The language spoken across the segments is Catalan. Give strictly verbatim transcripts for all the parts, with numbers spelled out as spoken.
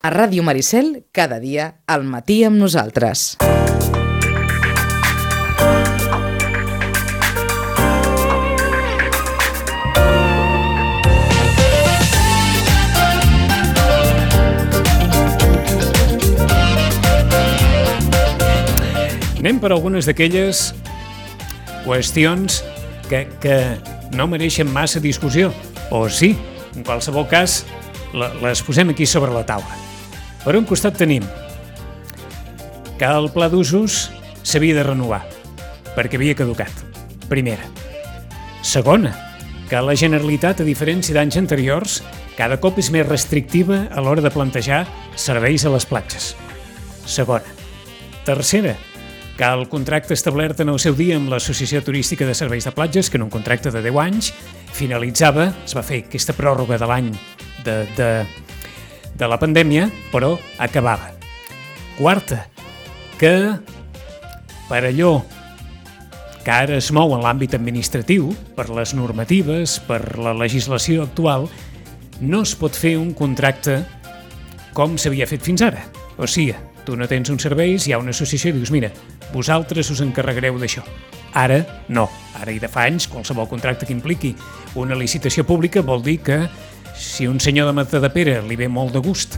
A Ràdio Maricel, cada dia al matí amb nosaltres. Anem per algunes d'aquelles qüestions que, que no mereixen massa discussió, o sí, en qualsevol cas, les posem aquí sobre la taula. Per un costat tenim que el pla d'usos s'havia de renovar, perquè havia caducat. Primera. Segona, que la Generalitat, a diferència d'anys anteriors, cada cop és més restrictiva a l'hora de plantejar serveis a les platges. Segona. Tercera, que el contracte establert en el seu dia amb l'Associació Turística de Serveis de Platges, que en un contracte de deu anys, finalitzava, es va fer aquesta pròrroga de l'any de, de, de la pandèmia, però acabava. Quarta, que per allò que ara es mou en l'àmbit administratiu, per les normatives, per la legislació actual, no es pot fer un contracte com s'havia fet fins ara. O sigui, tu no tens uns serveis, hi ha una associació i dius, mira, vosaltres us encarregareu d'això. Ara no. Ara i de fa anys, qualsevol contracte que impliqui una licitació pública vol dir que si un senyor de Matadepera li ve molt de gust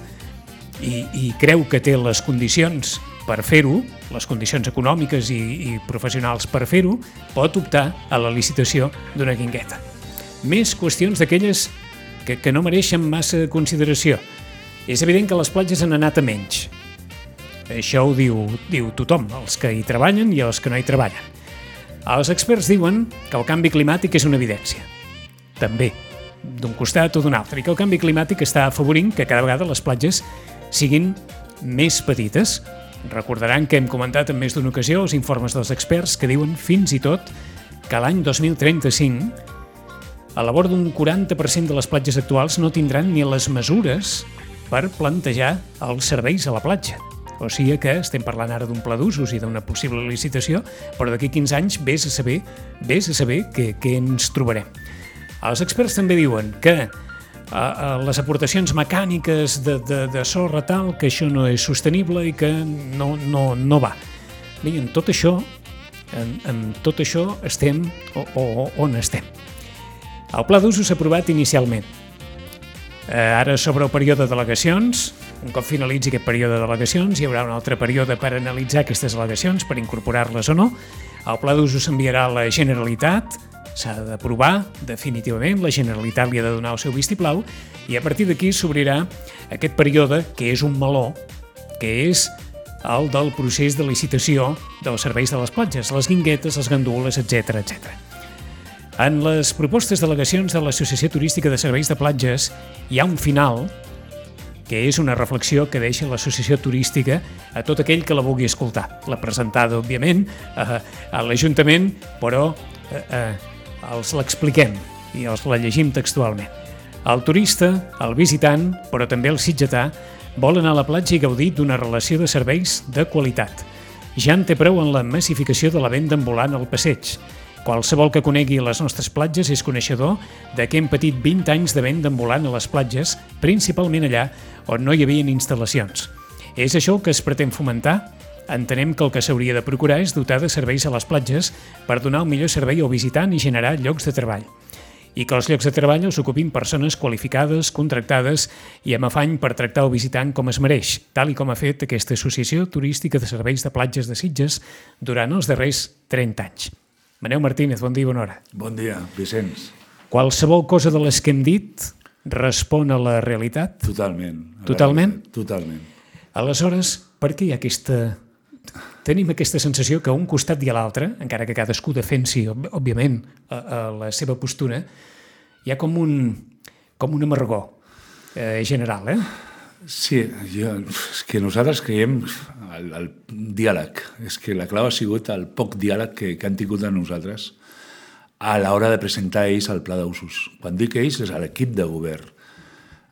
i, i creu que té les condicions per fer-ho, les condicions econòmiques i, i professionals per fer-ho, pot optar a la licitació d'una guingueta. Més qüestions d'aquelles que, que no mereixen massa consideració. És evident que les platges han anat a menys. Això ho diu, diu tothom, els que hi treballen i els que no hi treballen. Els experts diuen que el canvi climàtic és una evidència. També, d'un costat o d'un altre, i que el canvi climàtic està afavorint que cada vegada les platges siguin més petites. Recordaran que hem comentat en més d'una ocasió els informes dels experts que diuen fins i tot que l'any dos mil trenta-cinc a la vora d'un quaranta per cent de les platges actuals no tindran ni les mesures per plantejar els serveis a la platja. O sigui que estem parlant ara d'un pla d'usos i d'una possible licitació, però d'aquí quinze anys vés a saber, vés a saber què, què ens trobarem. Els experts també diuen que a, a les aportacions mecàniques de, de, de sorra tal, que això no és sostenible i que no, no, no va. Bé, en tot això, en, en tot això estem o, o, on estem. El pla d'usos s'ha aprovat inicialment. Eh, ara sobre el període de delegacions, un cop finalitzi aquest període de delegacions, hi haurà un altre període per analitzar aquestes delegacions, per incorporar-les o no. El pla d'usos s'enviarà a la Generalitat, s'ha d'aprovar definitivament, la Generalitat li ha de donar el seu vistiplau i a partir d'aquí s'obrirà aquest període que és un meló, que és el del procés de licitació dels serveis de les platges, les guinguetes, les gandules, etcètera, etcètera. En les propostes delegacions de l'Associació Turística de Serveis de Platges hi ha un final que és una reflexió que deixa l'Associació Turística a tot aquell que la vulgui escoltar. La presentada, òbviament, a, a l'Ajuntament, però eh, eh, els l'expliquem i els la llegim textualment. El turista, el visitant, però també el sitgetà, vol anar a la platja i gaudir d'una relació de serveis de qualitat. Ja en té prou en la massificació de la venda ambulant al passeig. Qualsevol que conegui les nostres platges és coneixedor de que hem patit vint anys de venda ambulant a les platges, principalment allà on no hi havia instal·lacions. És això el que es pretén fomentar? Entenem que el que s'hauria de procurar és dotar de serveis a les platges per donar el millor servei al visitant i generar llocs de treball. I que els llocs de treball els ocupin persones qualificades, contractades i amb afany per tractar el visitant com es mereix, tal i com ha fet aquesta Associació Turística de Serveis de Platges de Sitges durant els darrers trenta anys. Manel Martínez, bon dia i bona hora. Bon dia, Vicenç. Qualsevol cosa de les que hem dit respon a la realitat? Totalment. Totalment? Totalment. Aleshores, per què hi ha aquesta... Tenim aquesta sensació que a un costat i a l'altre, encara que cadascú defensi, òbviament, a, a la seva postura, hi ha com un, com un amargor eh, general, eh? Sí, jo, és que nosaltres creiem el, el diàleg. És que la clau ha sigut el poc diàleg que, que han tingut amb nosaltres a l'hora de presentar ells el pla d'usos. Quan dic ells és a l'equip de govern.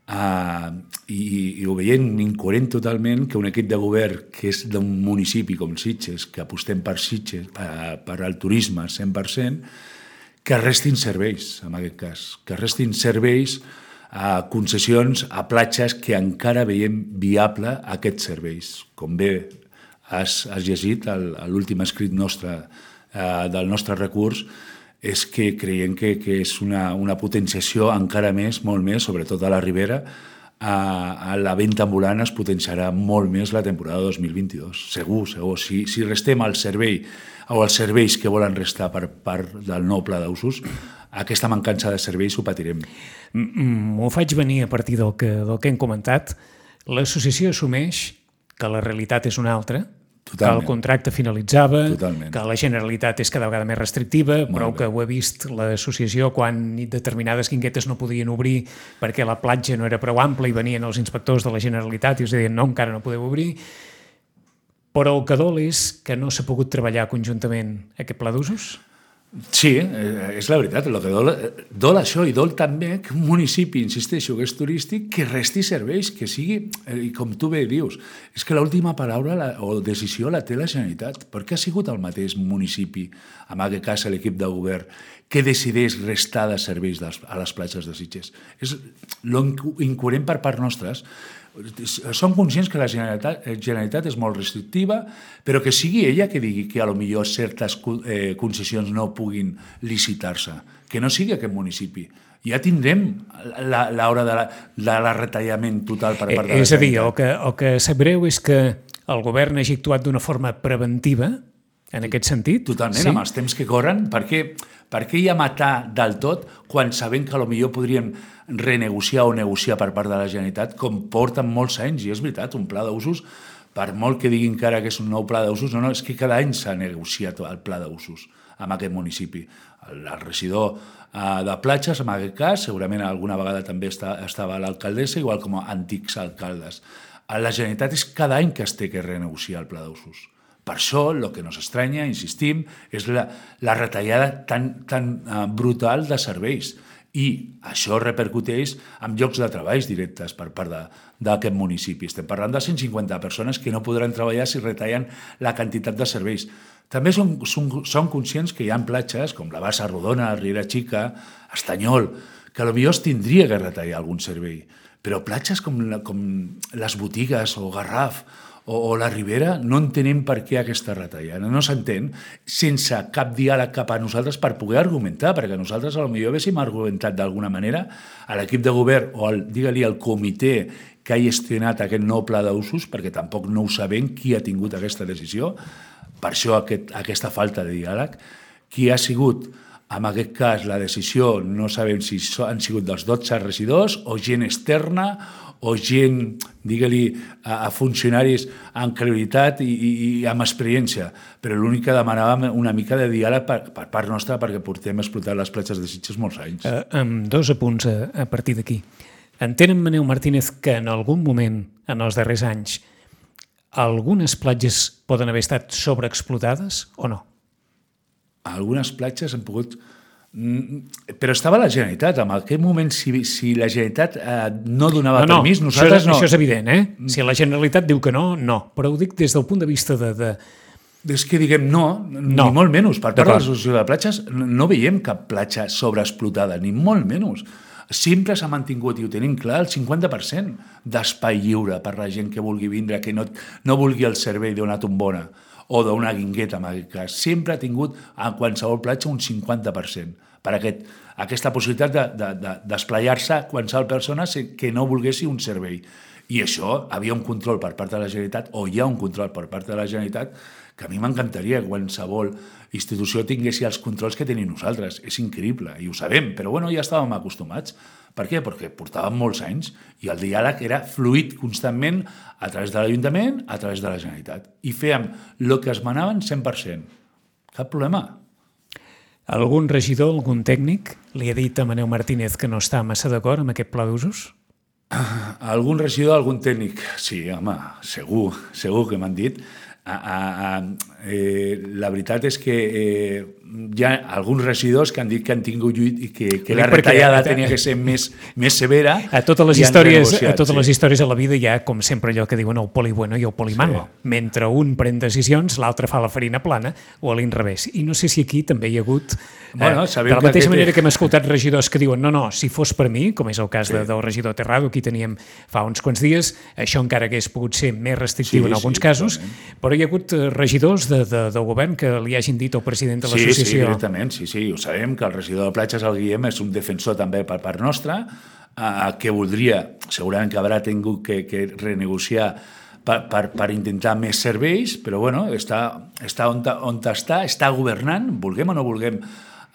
Uh, i, i ho veiem incoherent totalment que un equip de govern que és d'un municipi com Sitges, que apostem per Sitges, per, per al turisme al cent per cent, que restin serveis, en aquest cas, que restin serveis a concessions a platges que encara veiem viable aquests serveis. Com bé has, has llegit a l'últim escrit nostre eh, del nostre recurs, és que creiem que, que és una, una potenciació encara més, molt més, sobretot a la Ribera, a, a la venda ambulant es potenciarà molt més la temporada dos mil vint-i-dos. Segur, segur. Si, si restem al servei o als serveis que volen restar per part del nou pla d'usos, aquesta mancança de serveis ho patirem. M'ho faig venir a partir del que, del que hem comentat. L'associació assumeix que la realitat és una altra, totalment, que el contracte finalitzava, totalment, que la Generalitat és cada vegada més restrictiva, molt prou bé, que ho ha vist l'associació quan determinades guinguetes no podien obrir perquè la platja no era prou ampla i venien els inspectors de la Generalitat i us deien no, encara no podeu obrir. Però el que dol és que no s'ha pogut treballar conjuntament aquest pla d'usos? Sí, és la veritat. El que dol, dol això i dol també que un municipi, insisteixo, que és turístic, que resti serveis, que sigui, i com tu bé dius, és que l'última paraula la, o decisió la té la Generalitat, perquè ha sigut el mateix municipi, en aquest cas l'equip de govern, que decideix restar de serveis a les platges de Sitges. És l'incoherent per part nostres. Som conscients que la Generalitat, Generalitat és molt restrictiva, però que sigui ella que digui que a lo millor certes eh, concessions no puguin licitar-se, que no sigui aquest municipi. Ja tindrem l'hora de, la, de la retallament total per part de la Generalitat. És a dir, Generalitat. el que, el que sap greu és que el govern hagi actuat d'una forma preventiva, en aquest sentit? Totalment, sí? Amb els temps que corren. Per què, per què ja matar del tot quan sabem que potser podríem renegociar o negociar per part de la Generalitat, com porten molts anys, i és veritat, un pla d'usos, per molt que diguin que ara que és un nou pla d'usos, no, no, és que cada any s'ha negociat el pla d'usos en aquest municipi. El, el regidor uh, de platges, en aquest cas, segurament alguna vegada també està, estava l'alcaldessa, igual com a antics alcaldes. La Generalitat és cada any que es té que renegociar el pla d'usos. Per això, el que nos estranya, insistim, és la, la retallada tan, tan uh, brutal de serveis. I això repercuteix en llocs de treballs directes per part d'aquest municipi. Estem parlant de cent cinquanta persones que no podran treballar si retallen la quantitat de serveis. També som, som, som conscients que hi ha platges com la Bassa Rodona, Riera Xica, Estanyol, que potser es tindria que retallar algun servei. Però platges com, la, com les Botigues o Garraf o la Ribera, no entenem per què aquesta retallada. No s'entén sense cap diàleg cap a nosaltres per poder argumentar, perquè nosaltres potser haguéssim argumentat d'alguna manera a l'equip de govern o al, digue-li, al comitè que ha gestionat aquest nou pla d'usos, perquè tampoc no ho sabem qui ha tingut aquesta decisió, per això aquest, aquesta falta de diàleg. Qui ha sigut, en aquest cas, la decisió, no sabem si han sigut dels dotze regidors o gent externa o gent, digue-li, a, a funcionaris amb credibilitat i, i, i amb experiència. Però l'únic que demanàvem una mica de diàleg per, per part nostra perquè portem explotant les platges de Sitges molts anys. Uh, amb dos apunts a, a partir d'aquí. Entén en Manel Martínez que en algun moment, en els darrers anys, algunes platges poden haver estat sobreexplotades o no? Algunes platges han pogut... Però estava la Generalitat. En aquell moment, si, si la Generalitat eh, no donava no, no, permís, nosaltres això, no... Això és evident, eh? Si la Generalitat diu que no, no. Però ho dic des del punt de vista de... de... És que diguem no, no, ni molt menys. Per part de l'Associació de Platges no veiem cap platja sobreexplotada, ni molt menys. Sempre s'ha mantingut, i ho tenim clar, el cinquanta per cent d'espai lliure per la gent que vulgui vindre, que no, no vulgui el servei d'una tombona o d'una guingueta, en aquest cas. Sempre ha tingut a qualsevol platja un cinquanta per cent per aquest, aquesta possibilitat de, de, de, d'esplayar-se qualsevol persona que no volguessi un servei. I això havia un control per part de la Generalitat, o hi ha un control per part de la Generalitat, que a mi m'encantaria que qualsevol institució tinguessi els controls que tenim nosaltres. És increïble, i ho sabem, però bueno, ja estàvem acostumats. Per què? Perquè portàvem molts anys i el diàleg era fluid constantment a través de l'Ajuntament, a través de la Generalitat. I fèiem el que es manaven cent per cent. Cap problema. Algun regidor, algun tècnic, li ha dit a Manel Martínez que no està massa d'acord amb aquest pla d'usos? Algun regidor, algun tècnic? Sí, home, segur, segur que m'han dit. a, a, a, eh, la veritat és que eh, hi ha alguns regidors que han dit que han tingut lluit i que, que la retallada tenia que ser més, més severa. A totes les històries, a totes sí. les històries de la vida hi ha, com sempre, allò que diuen el poli bueno i el poli malo. Sí. Mentre un pren decisions, l'altre fa la farina plana o a l'inrevés. I no sé si aquí també hi ha hagut... Bueno, eh, de la mateixa que manera que hem escoltat regidors que diuen no, no, si fos per mi, com és el cas sí. de, del regidor Terrado, aquí teníem fa uns quants dies, això encara hagués pogut ser més restrictiu sí, en alguns sí, casos, totalment. Però hi ha hagut regidors de, de, del govern que li hagin dit al president de l'associació... Sí, sí, directament, sí, sí, ho sabem, que el regidor de platges, el Guillem, és un defensor també per part nostra, eh, que voldria, segurament que haurà tingut que, que renegociar per, per, per intentar més serveis, però bueno, està, està on, on està, està governant, vulguem o no vulguem,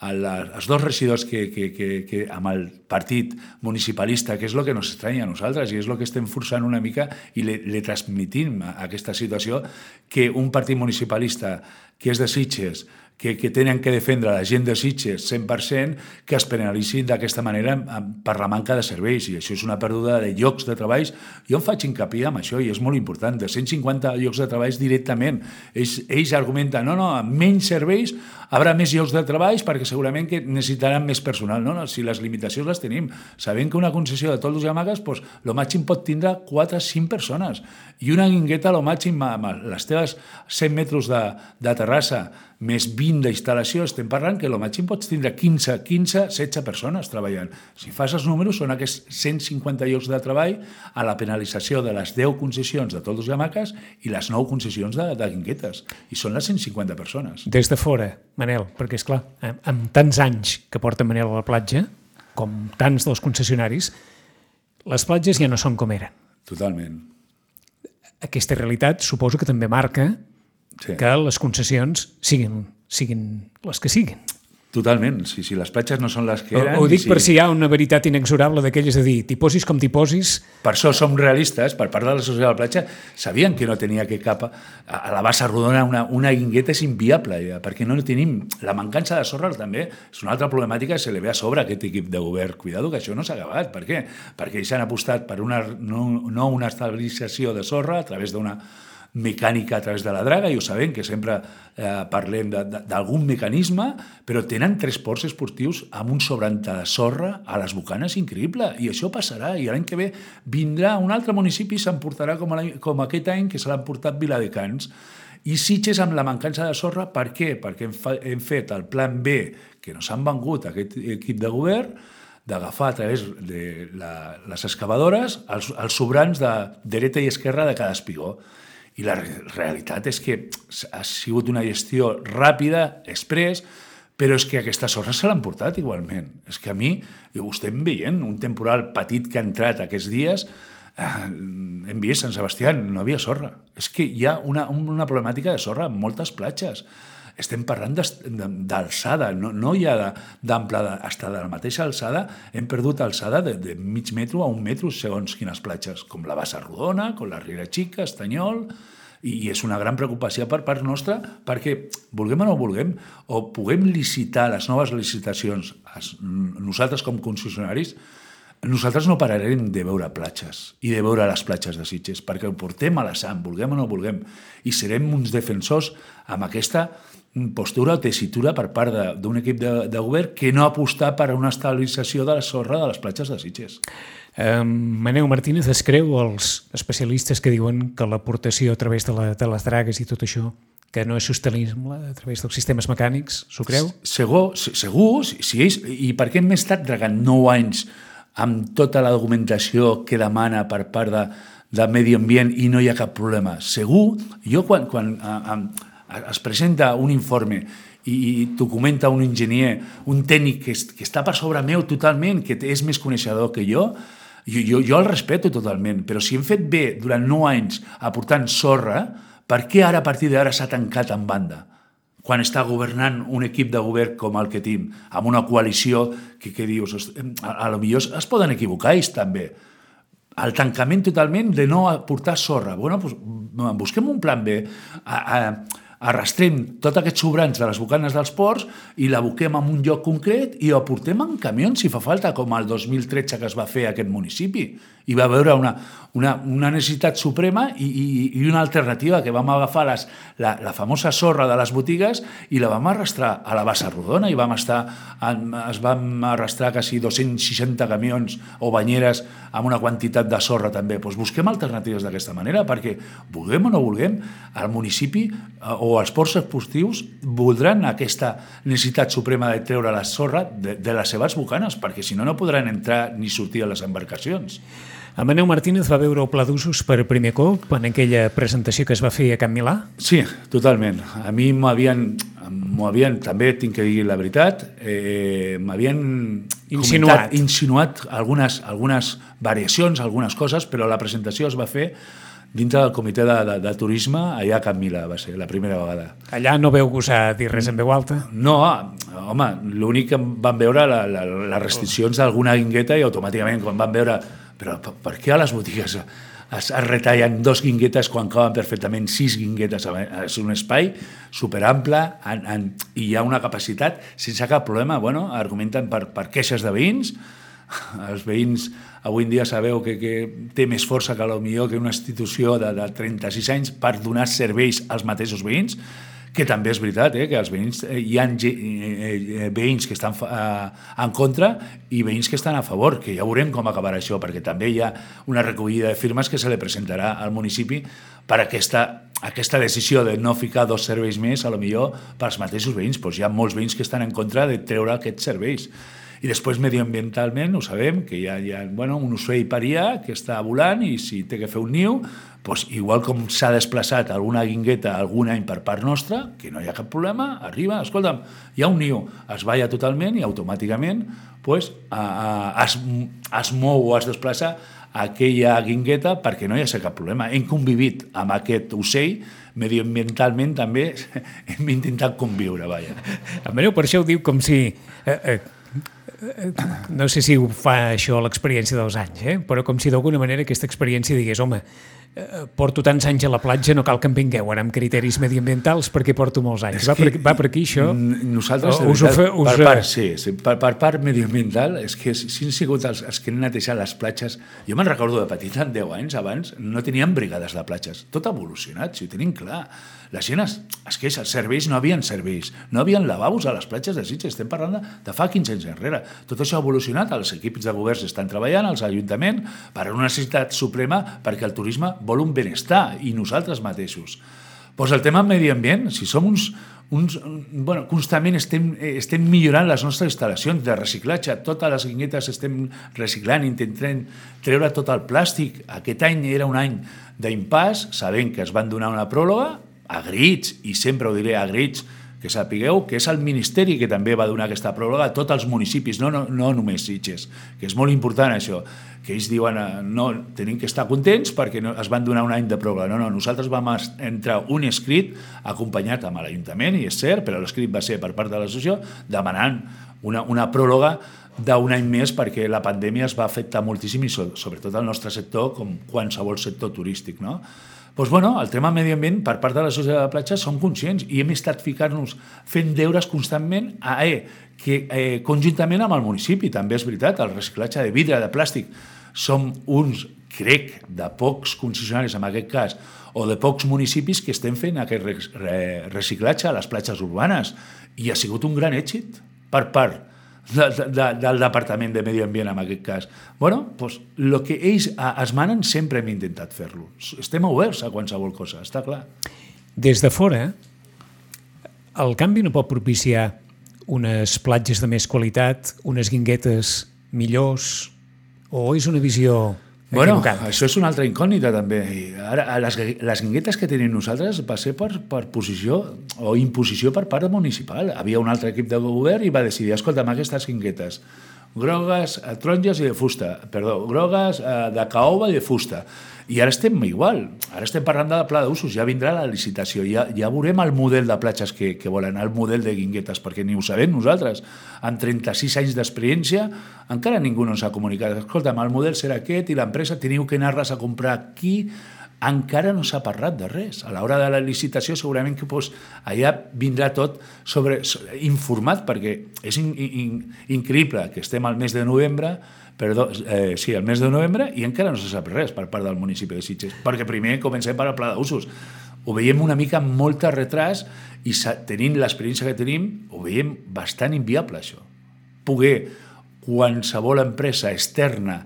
els dos regidors que, que, que, que amb el partit municipalista, que és el que ens estranya a nosaltres i és el que estem forçant una mica i le, le transmitim a aquesta situació, que un partit municipalista que és de Sitges, que, que tenen que defendre la gent de Sitges cent per cent, que es penalitzin d'aquesta manera per la manca de serveis, i això és una pèrdua de llocs de treball. Jo em faig hincapié amb això, i és molt important, de cent cinquanta llocs de treball directament. Ells, ells argumenten, no, no, amb menys serveis haurà més llocs de treball perquè segurament que necessitaran més personal. No, no, si les limitacions les tenim, sabem que una concessió de toldos i hamaques, doncs, el màxim pot tindre quatre o cinc persones, i una guingueta, el màxim, amb les teves cent metres de, de terrassa, més vint d'instal·lació, estem parlant que el màxim pots tindre quinze, quinze, setze persones treballant. Si fas els números, són aquests cent cinquanta llocs de treball a la penalització de les deu concessions de toldos i hamaques i les nou concessions de, de guinguetes. I són les cent cinquanta persones. Des de fora, Manel, perquè és clar, amb tants anys que porta Manel a la platja, com tants dels concessionaris, les platges ja no són com eren. Totalment. Aquesta realitat suposo que també marca sí. que les concessions siguin, siguin les que siguin. Totalment, si, si les platges no són les que eren... Ho dic si... per si hi ha una veritat inexorable d'aquelles de dir, t'hi posis com t'hi posis... Per això som realistes, per part de l'associació de la platja, sabien que no tenia que cap... A la bassa rodona una, una guingueta és inviable, ja, perquè no tenim... La mancança de sorra també és una altra problemàtica que se li ve a sobre a aquest equip de govern. Cuidado, que això no s'ha acabat. Per què? Perquè ells han apostat per una, no, no una estabilització de sorra a través d'una mecànica a través de la draga, i ho sabem que sempre eh, parlem d'algun mecanisme, però tenen tres ports esportius amb un sobrante de sorra a les Bocanes increïble, i això passarà, i l'any que ve vindrà un altre municipi i s'emportarà com, com aquest any que se l'han portat Viladecans. I Sitges amb la mancança de sorra, per què? Perquè hem, fa, hem fet el plan B, que nos han vengut aquest equip de govern, d'agafar a través de la, les excavadores els, els sobrants de dreta i esquerra de cada espigó. I la realitat és que ha sigut una gestió ràpida, express, però és que aquesta sorra se l'han portat igualment. És que a mi, ho estem veient, un temporal petit que ha entrat aquests dies, eh, hem vist Sant Sebastià, no havia sorra. És que hi ha una, una problemàtica de sorra en moltes platges. Estem parlant d'alçada, no, no hi ha d'amplada, fins de la mateixa alçada hem perdut alçada de, de mig metro a un metro segons quines platges, com la Bassa Rodona, com la Riera Xica, Estanyol, i, i és una gran preocupació per part nostra perquè, vulguem o no vulguem, o puguem licitar les noves licitacions, nosaltres com concessionaris, nosaltres no pararem de veure platges i de veure les platges de Sitges, perquè ho portem a la sang, vulguem o no vulguem, i serem uns defensors amb aquesta postura o tessitura per part d'un equip de, de govern que no apostar per una estabilització de la sorra de les platges de Sitges. Um, Manel Martínez es creu els especialistes que diuen que l'aportació a través de, la, de les dragues i tot això que no és sostenible a través dels sistemes mecànics, s'ho creu? Segur, segur si, si ells, i per què hem estat dragant nou anys amb tota la documentació que demana per part de, de Medi Ambient i no hi ha cap problema? Segur, jo quan, quan a, a, es presenta un informe i, i t'ho comenta un enginyer, un tècnic que, es, que està per sobre meu totalment, que és més coneixedor que jo, jo, jo, jo el respeto totalment, però si hem fet bé durant nou anys aportant sorra, per què ara a partir d'ara s'ha tancat en banda? Quan està governant un equip de govern com el que tenim, amb una coalició que, que dius, a, a lo millor es poden equivocar ells també. El tancament totalment de no aportar sorra. Bueno, doncs, busquem un plan B, a, a, arrastrem tots aquests sobrants de les bocanes dels ports i la aboquem en un lloc concret i ho aportem en camions si fa falta, com el dos mil tretze que es va fer a aquest municipi. Hi va haver una, una, una necessitat suprema i, i, i una alternativa, que vam agafar les, la, la famosa sorra de les botigues i la vam arrastrar a la bassa rodona i vam estar, en, es vam arrastrar quasi dos-cents seixanta camions o banyeres amb una quantitat de sorra també. Pues busquem alternatives d'aquesta manera, perquè vulguem o no vulguem, el municipi o els ports esportius voldran aquesta necessitat suprema de treure la sorra de, de les seves bocanes, perquè si no, no podran entrar ni sortir a les embarcacions. Amadeu Martínez va veure el pla d'usos per primer cop en aquella presentació que es va fer a Can Milà? Sí, totalment. A mi m'havien, m'ho havien, també tinc que dir la veritat, eh, m'havien insinuat. Comentat, insinuat algunes, algunes variacions, algunes coses, però la presentació es va fer dintre del comitè de, de, de turisme allà a Can Milà, va ser la primera vegada. Allà no veu gosar dir res en veu alta? No, home, l'únic que van veure la, la, les restriccions d'alguna guingueta i automàticament quan van veure però per, per què a les botigues es, es retallen dos guinguetes quan caben perfectament sis guinguetes? És un espai superample en, en, i hi ha una capacitat sense cap problema. Bueno, argumenten per, per queixes de veïns. Els veïns avui en dia sabeu que, que té més força que potser que una institució de, de trenta-sis anys per donar serveis als mateixos veïns, que també és veritat, eh, que els veïns, eh, hi ha eh, veïns que estan eh, en contra i veïns que estan a favor, que ja veurem com acabarà això, perquè també hi ha una recollida de firmes que se li presentarà al municipi per aquesta, aquesta decisió de no ficar dos serveis més, a lo millor pels mateixos veïns. Doncs hi ha molts veïns que estan en contra de treure aquests serveis. I després, medioambientalment, ho sabem, que hi ha, hi ha bueno, un ocell parià que està volant i si té que fer un niu, doncs, igual com s'ha desplaçat alguna guingueta algun any per part nostra, que no hi ha cap problema, arriba, escolta'm, hi ha un niu, es balla totalment i automàticament doncs, a, a, es, es mou o es desplaça aquella guingueta perquè no hi ha cap problema. Hem convivit amb aquest ocell, medioambientalment també hem intentat conviure, vaja. Amadeu, per això ho diu com si... Eh, eh, no sé si ho fa això l'experiència dels anys, eh? Però com si d'alguna manera aquesta experiència digués, home, eh, porto tants anys a la platja, no cal que em vingueu ara amb criteris mediambientals perquè porto molts anys. Va per, va per aquí això? Nosaltres, us ho fe, us... per, part, sí, sí, per, per part mediambiental, és que si han sigut els, els que han netejat les platges, jo me'n recordo de petit, en deu anys abans, no teníem brigades de platges. Tot ha evolucionat, si ho tenim clar. La gent es, es queixa, els serveis no havien serveis, no havien lavabos a les platges de Sitges, estem parlant de, de fa quinze anys enrere. Tot això ha evolucionat, els equips de governs estan treballant, els ajuntaments, per una necessitat suprema perquè el turisme vol un benestar i nosaltres mateixos. Doncs el tema medi ambient, si som uns, uns bueno, constantment estem, estem millorant les nostres instal·lacions de reciclatge, totes les guinguetes estem reciclant, intentem treure tot el plàstic. Aquest any era un any d'impàs, sabent que es van donar una pròrroga, a grits, i sempre ho diré a grits, que sapigueu que és el Ministeri que també va donar aquesta pròrroga a tots els municipis, no, no, no només Sitges, que és molt important això, que ells diuen no, tenim que estar contents perquè no, es van donar un any de pròrroga. No, no, nosaltres vam entrar un escrit acompanyat amb l'Ajuntament, i és cert, però l'escrit va ser per part de l'associació, demanant una, una pròrroga d'un any més perquè la pandèmia es va afectar moltíssim i sobretot el nostre sector com qualsevol sector turístic, no? Doncs, bueno, el tema medi ambient, per part de la societat de la platja, som conscients i hem estat ficant-nos, fent deures constantment a eh, que eh, conjuntament amb el municipi, també és veritat, el reciclatge de vidre, de plàstic, som uns, crec, de pocs concessionaris en aquest cas, o de pocs municipis que estem fent aquest reciclatge a les platges urbanes, i ha sigut un gran èxit per part De, de, del Departament de Medi Ambient en aquest cas. Bueno, doncs el que ells es manen sempre hem intentat fer-lo. Estem oberts a qualsevol cosa, està clar. Des de fora, el canvi no pot propiciar unes platges de més qualitat, unes guinguetes millors, o és una visió bueno, equivocada? Això és una altra incògnita també. I ara, les, les guinguetes que tenim nosaltres va ser per, per posició o imposició per part municipal. Havia un altre equip de govern i va decidir, escolta'm, aquestes guinguetes grogues, taronges i de fusta, perdó, grogues de caoba i de fusta. I ara estem igual, ara estem parlant de pla d'usos, ja vindrà la licitació, ja, ja veurem el model de platges que, que volen, el model de guinguetes, perquè ni ho sabem nosaltres. Amb trenta-sis anys d'experiència, encara ningú no s'ha comunicat. Escolta'm, el model serà aquest i l'empresa teniu que anar-les a comprar aquí. Encara no s'ha parlat de res. A l'hora de la licitació segurament que doncs, allà vindrà tot sobre, informat, perquè és in, in, increïble que estem al mes de novembre perdó, eh, sí, el mes de novembre, i encara no se sap res per part del municipi de Sitges, perquè primer comencem per al pla d'usos. Ho veiem una mica amb molt retras i tenint l'experiència que tenim, ho veiem bastant inviable, això. Poder qualsevol empresa externa,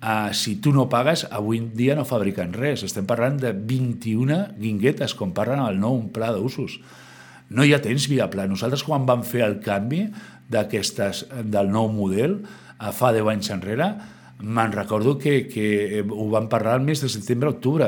eh, si tu no pagues, avui en dia no fabriquen res. Estem parlant de vint-i-una guinguetes, com parlen al nou pla d'usos. No hi ha temps viable. Nosaltres, quan vam fer el canvi d'aquestes, del nou model, fa deu anys enrere, me'n recordo que, que ho vam parlar el mes de setembre-octubre.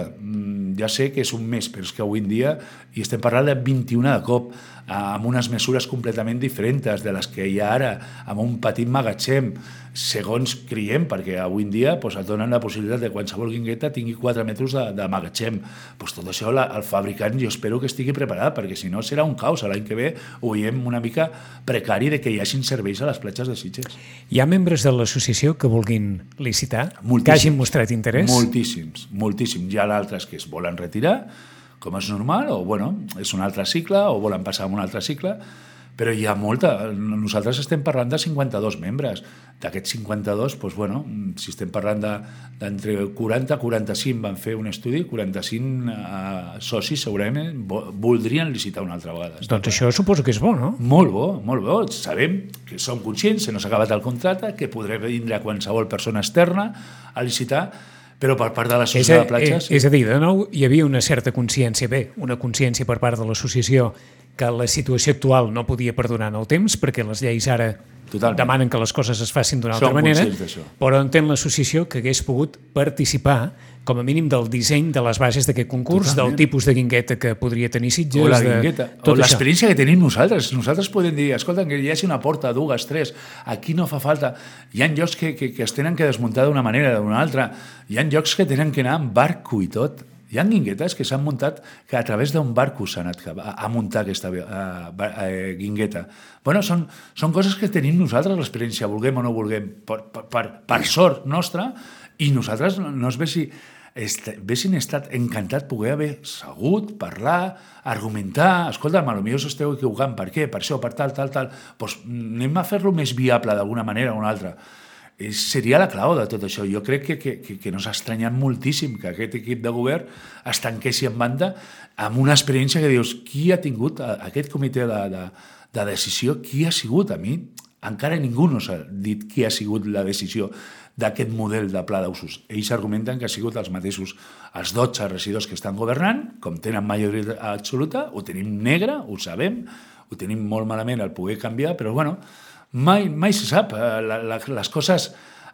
Ja sé que és un mes, però és que avui en dia i estem parlant de vint-i-una de cop, amb unes mesures completament diferents de les que hi ha ara, amb un petit magatzem, segons creiem, perquè avui en dia pues, et donen la possibilitat de qualsevol guingueta tingui quatre metres de, de magatzem. Pues tot això la, el fabricant jo espero que estigui preparat, perquè si no serà un caos. L'any que ve ho veiem una mica precari de que hi hagin serveis a les platges de Sitges. Hi ha membres de l'associació que vulguin licitar, moltíssims, que hagin mostrat interès? Moltíssims, moltíssims. Hi ha d'altres que es volen retirar, com és normal, o bueno, és un altre cicle, o volen passar a un altre cicle, però hi ha molta. Nosaltres estem parlant de cinquanta-dos membres. D'aquests cinquanta-dos, doncs, bueno, si estem parlant d'entre de, quaranta a quaranta-cinc van fer un estudi, quaranta-cinc eh, socis segurament voldrien licitar una altra vegada. Doncs això suposo que és bo, no? Molt bo, molt bo. Sabem que som conscients, se no s'ha acabat el contracte, que podrà vindre qualsevol persona externa a licitar, però per part de l'associació de platges... És a dir, de nou, hi havia una certa consciència, bé, una consciència per part de l'associació que la situació actual no podia perdurar en el temps, perquè les lleis ara Totalment. Demanen que les coses es facin d'una altra manera, però entén l'associació que hagués pogut participar com a mínim del disseny de les bases d'aquest concurs, Totalment. Del tipus de guingueta que podria tenir Sitges... O la guingueta, de... o l'experiència que tenim nosaltres. Nosaltres podem dir, escolta, que hi hagi una porta, dues, tres, aquí no fa falta. Hi ha llocs que, que, que es tenen que desmuntar d'una manera o d'una altra. Hi ha llocs que tenen que anar amb barco i tot. Hi ha guinguetes que s'han muntat, que a través d'un barco s'ha anat a, a muntar aquesta uh, uh, guingueta. Bueno, són, són coses que tenim nosaltres l'experiència, vulguem o no vulguem, per, per, per sort nostra, i nosaltres no es vessi, est, vessin estat encantat poder haver segut, parlar, argumentar, escolta, potser us esteu equivocant, per què, per això, per tal, tal, tal, doncs anem a fer-lo més viable d'alguna manera o una altra. Seria la clau de tot això. Jo crec que, que, que no s'ha estranyat moltíssim que aquest equip de govern es tanquessi en banda amb una experiència que dius, qui ha tingut aquest comitè de, de, de decisió, qui ha sigut? A mi encara ningú no s'ha dit qui ha sigut la decisió d'aquest model de pla d'usos. Ells argumenten que ha sigut els mateixos, els dotze regidors que estan governant, com tenen majoria absoluta, ho tenim negre, ho sabem, ho tenim molt malament el poder canviar, però bueno, Mai, mai se sap. La, la, les coses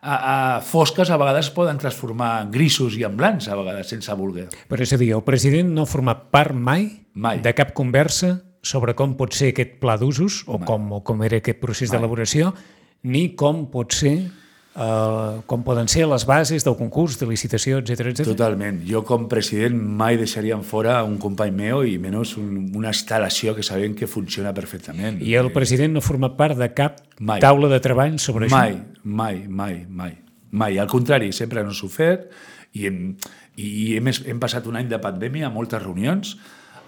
a, a fosques a vegades poden transformar en grisos i en blancs, a vegades, sense voler. Però és a dir, el president no ha format part mai, mai. de cap conversa sobre com pot ser aquest pla d'usos o com, o com era aquest procés d'elaboració, ni com pot ser... Uh, com poden ser les bases del concurs, de licitació, etcètera, etcètera. Totalment. Jo com president mai deixaríem fora un company meu i menys un, una instal·lació que sabem que funciona perfectament. I el president no ha format part de cap mai. taula de treball sobre mai, això? Mai, mai, mai, mai. Al contrari, sempre no s'ho fet i, hem, i hem, hem passat un any de pandèmia, moltes reunions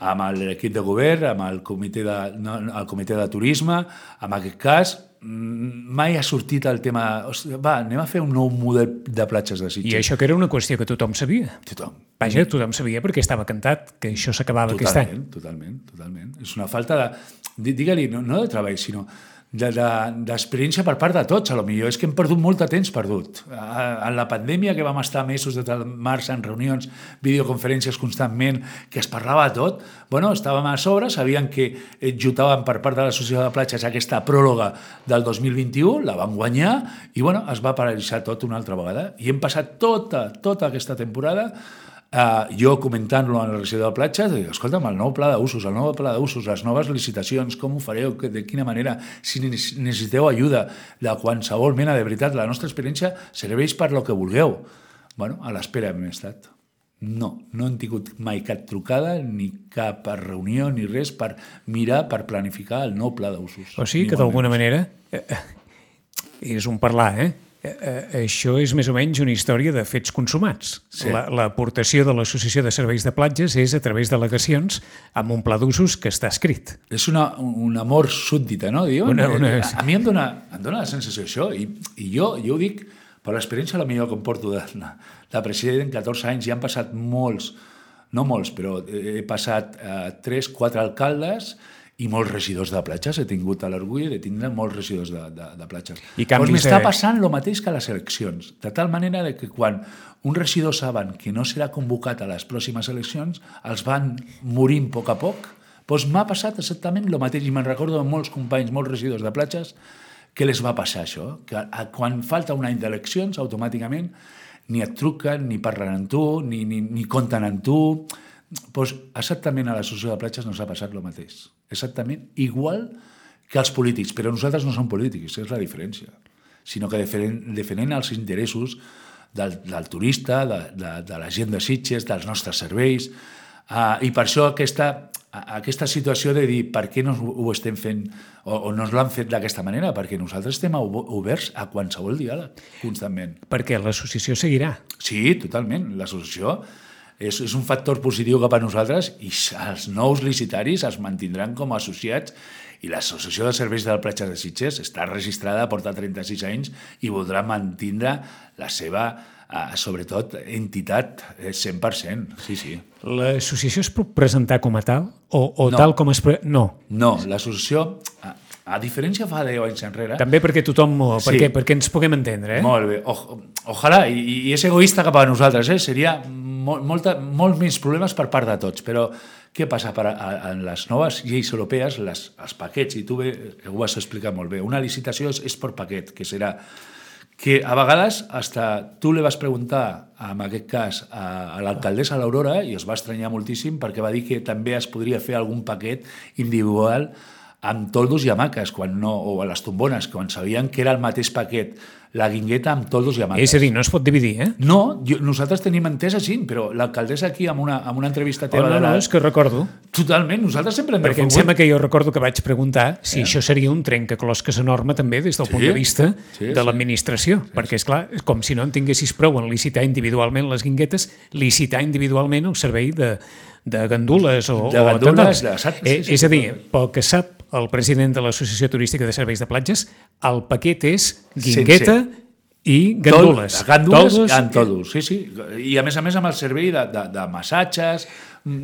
amb l'equip de govern, amb el comitè de, no, el comitè de turisme, en aquest cas mai ha sortit el tema, va, anem a fer un nou model de platges de Sitges. I això que era una qüestió que tothom sabia. Tothom. Vaja, tothom sabia perquè estava cantat que això s'acabava aquest any. Totalment, totalment. És una falta de, digue-li, no, no de treball, sinó d'experiència de, de, per part de tots, a lo millor. És que hem perdut molt de temps perdut. En la pandèmia, que vam estar mesos de març en reunions, videoconferències constantment, que es parlava de tot, bueno, estàvem a sobre, sabien que jutàvem per part de l'Associació de Platges aquesta pròrroga del dos mil vint-i-u, la van guanyar, i bueno, es va paralitzar tot una altra vegada. I hem passat tota, tota aquesta temporada Uh, jo comentant-lo en la regidor de platges, dic, escolta'm, el nou pla d'usos, el nou pla d'usos, les noves licitacions, com ho fareu, de quina manera, si necessiteu ajuda de qualsevol mena, de veritat, la nostra experiència serveix per lo que vulgueu. Bueno, a l'espera hem estat. No, no hem tingut mai cap trucada, ni cap reunió, ni res per mirar, per planificar el nou pla d'usos. O sigui que d'alguna manera, eh, és un parlar, eh? Eh, això és més o menys una història de fets consumats. Sí. L'aportació la, de l'Associació de Serveis de Platges és a través d'al·legacions amb un pla d'usos que està escrit. És una, un amor súbdita, no? Diuen? Una, una... A, a mi em dona, em dona la sensació això, i, i jo, jo ho dic per l'experiència potser que em porto de, de president, catorze anys, ja han passat molts, no molts, però he passat eh, tres, quatre alcaldes i molts regidors de platges. He tingut l'orgull de tindre molts regidors de, de, de platges. I canvis pues m'està de... passant el mateix que a les eleccions, de tal manera de que quan un regidor saben que no serà convocat a les pròximes eleccions, els van morint a poc a poc. Doncs m'ha passat exactament el mateix, i me'n recordo de molts companys, molts regidors de platges, que les va passar això, que quan falta un any d'eleccions, automàticament ni et truquen, ni parlen amb tu, ni, ni, ni compten amb tu. Doncs exactament a l'associació de platges no s'ha passat el mateix. Exactament igual que els polítics, però nosaltres no som polítics, és la diferència, sinó que defenen els interessos del, del turista, de, de, de la gent de Sitges, dels nostres serveis, uh, i per això aquesta... aquesta situació de dir per què no ho estem fent o, o no ens l'han fet d'aquesta manera, perquè nosaltres estem oberts a qualsevol diàleg, constantment. Perquè l'associació seguirà. Sí, totalment. L'associació és, és un factor positiu cap a nosaltres i els nous licitaris es mantindran com a associats i l'Associació de Serveis de la Platja de Sitges està registrada, porta trenta-sis anys i voldrà mantindre la seva Uh, sobretot entitat cent per cent, sí, sí. L'associació es pot presentar com a tal? O, o no. tal com es... Pre... No. No, l'associació, a, a diferència fa deu anys enrere... També perquè tothom... Sí. Perquè, perquè ens puguem entendre, eh? Molt bé. O, ojalà, i, i és egoista cap a nosaltres, eh? Seria molt, molta, molt menys problemes per part de tots, però què passa? Per a, a, en les noves lleis europees, les, els paquets, i tu bé, ho vas explicar molt bé, una licitació és, és per paquet, que serà que a vegades hasta tu li vas preguntar, en aquest cas, a, a l'alcaldessa l'Aurora, i es va estranyar moltíssim perquè va dir que també es podria fer algun paquet individual amb toldos i hamaques, quan no, o a les tombones, quan sabien que era el mateix paquet, la guingueta amb toldos i hamaques. És a dir, no es pot dividir, eh? No, jo, nosaltres tenim entès així, però l'alcaldessa aquí, amb una, amb una entrevista teva... Oh, no, no, és que recordo. Totalment, nosaltres sempre hem Perquè em sembla que jo recordo que vaig preguntar si eh? això seria un trencaclosques enorme també des del sí, punt de vista sí, de l'administració, sí, sí. perquè, és clar, com si no en tinguessis prou en licitar individualment les guinguetes, licitar individualment el servei de, de gandules o... De gandules, o de saps, eh, sí, sí, és a dir, sí. pel que sap el president de l'Associació Turística de Serveis de Platges, el paquet és guingueta Sense. i gandules. Tol, gandules Toldos, amb toldos, sí, sí. I a més a més amb el servei de, de, de massatges,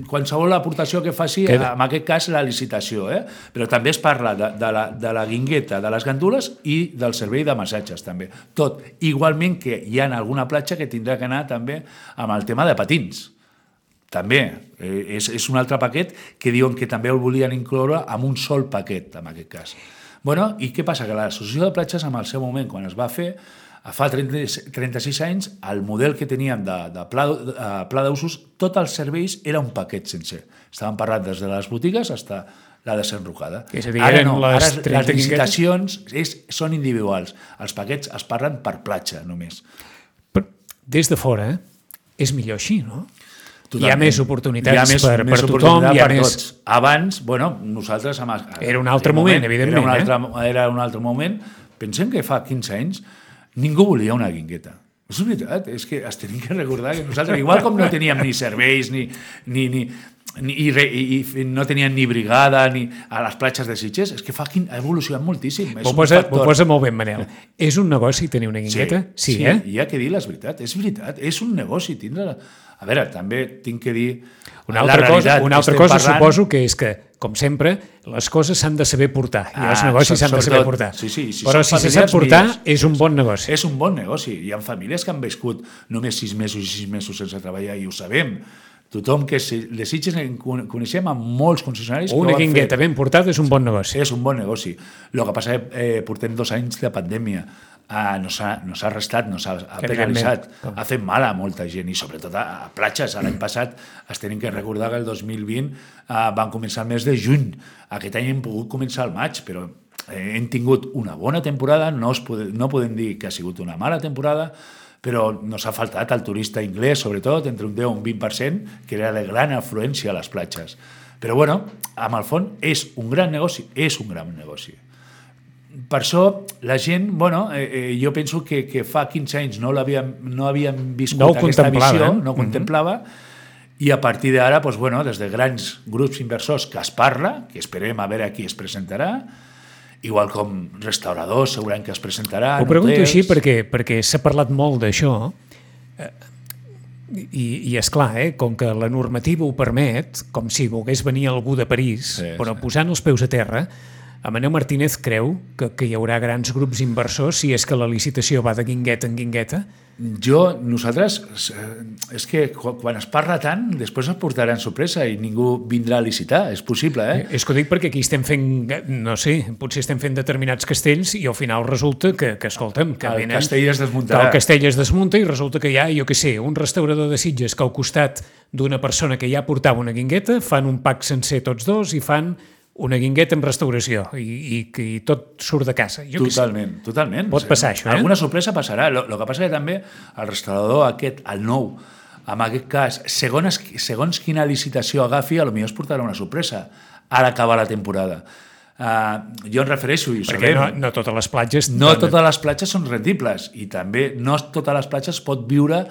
qualsevol aportació que faci, que... en aquest cas la licitació, eh? Però també es parla de, de, la, de la guingueta, de les gandules i del servei de massatges també. Tot. Igualment que hi ha alguna platja que tindrà que anar també amb el tema de patins. També. Eh, és, és un altre paquet que diuen que també el volien incloure amb un sol paquet, en aquest cas. Bueno, i què passa? Que l'Associació de Platges, en el seu moment, quan es va fer, fa trenta-sis anys, el model que teníem de, de pla, de pla d'usos, tots els serveis era un paquet sencer. Estàvem parlant des de les botigues fins a la desenrocada. És a dir, ara no, les ara les licitacions és, són individuals. Els paquets es parlen per platja, només. Però des de fora, eh? És millor així, no? Totalment. Hi ha més oportunitats hi ha més, per, més per tothom. Hi ha per més... tots. Abans, bueno, nosaltres... Amb, era un altre moment, moment, evidentment. Era un altre, eh? era un altre moment. Pensem que fa quinze anys ningú volia una guingueta. És veritat, és que es tenim que recordar que nosaltres, igual com no teníem ni serveis, ni, ni, ni, ni, i, re, i, i no teníem ni brigada ni a les platges de Sitges, és que fa, ha evolucionat moltíssim. Ho posa, ho posa molt bé, Manel. És un negoci tenir una guingueta? Sí, sí, sí, eh? Hi ha que dir la veritat. És veritat, és un negoci tindre... A veure, també tinc que dir... Una altra cosa, una altra cosa parlant... suposo que és que, com sempre, les coses s'han de saber portar i els ah, negocis s'han de saber portar. Sí, sí, si Però si se sap portar, millors, és un bon negoci. És un bon negoci. Hi ha famílies que han viscut només sis mesos i sis mesos sense treballar i ho sabem. Tothom que de Sitges coneixem amb molts concessionaris... Una guingueta ben portada és un bon negoci. És un bon negoci. El que passa és que eh, portem dos anys de pandèmia. Ah, no s'ha no restat, no s'ha penalitzat, ha fet mal a molta gent i sobretot a, a platges. L'any passat es tenim que recordar que el dos mil vint eh, van començar el mes de juny. Aquest any hem pogut començar al maig, però eh, hem tingut una bona temporada, no, es pode, no podem dir que ha sigut una mala temporada, però nos ha faltat el turista anglès, sobretot, entre un deu i un vint per cent, que era de gran afluència a les platges. Però, bueno, amb el fons és un gran negoci, és un gran negoci. Per això, la gent, bueno, eh, eh, jo penso que, que fa quinze anys no l'havíem no havíem viscut no aquesta visió, eh? no ho contemplava, mm-hmm. i a partir d'ara, doncs, bueno, des de grans grups inversors que es parla, que esperem a veure qui es presentarà, igual com restauradors segurament que es presentaran. Ho pregunto hotels. així perquè, perquè s'ha parlat molt d'això eh, i, i és clar, eh, com que la normativa ho permet, com si volgués venir algú de París, Sí, però sí. posant els peus a terra, Amaneu Martínez creu que, que hi haurà grans grups inversors si és que la licitació va de guingueta en guingueta? Jo, nosaltres, eh, és que quan quan es parla tant, després es portaran sorpresa i ningú vindrà a licitar, és possible, eh? És que ho dic perquè aquí estem fent, no sé, potser estem fent determinats castells i al final resulta que, que escolta'm, que El venen... castell es que desmuntarà. el castell es desmunta i resulta que hi ha, jo què sé, un restaurador de Sitges que al costat d'una persona que ja portava una guingueta fan un pack sencer tots dos i fan una guingueta amb restauració i, i, i tot surt de casa. Jo què sé. Totalment, totalment. Pot passar això, eh? Alguna sorpresa passarà. El que passa que també el restaurador aquest, el nou, en aquest cas, segons, segons quina licitació agafi, potser es portarà una sorpresa a l'acabar la temporada. Uh, jo em refereixo, i ho Perquè sabem, no, no totes les platges... no totes les platges són rendibles i també no totes les platges pot viure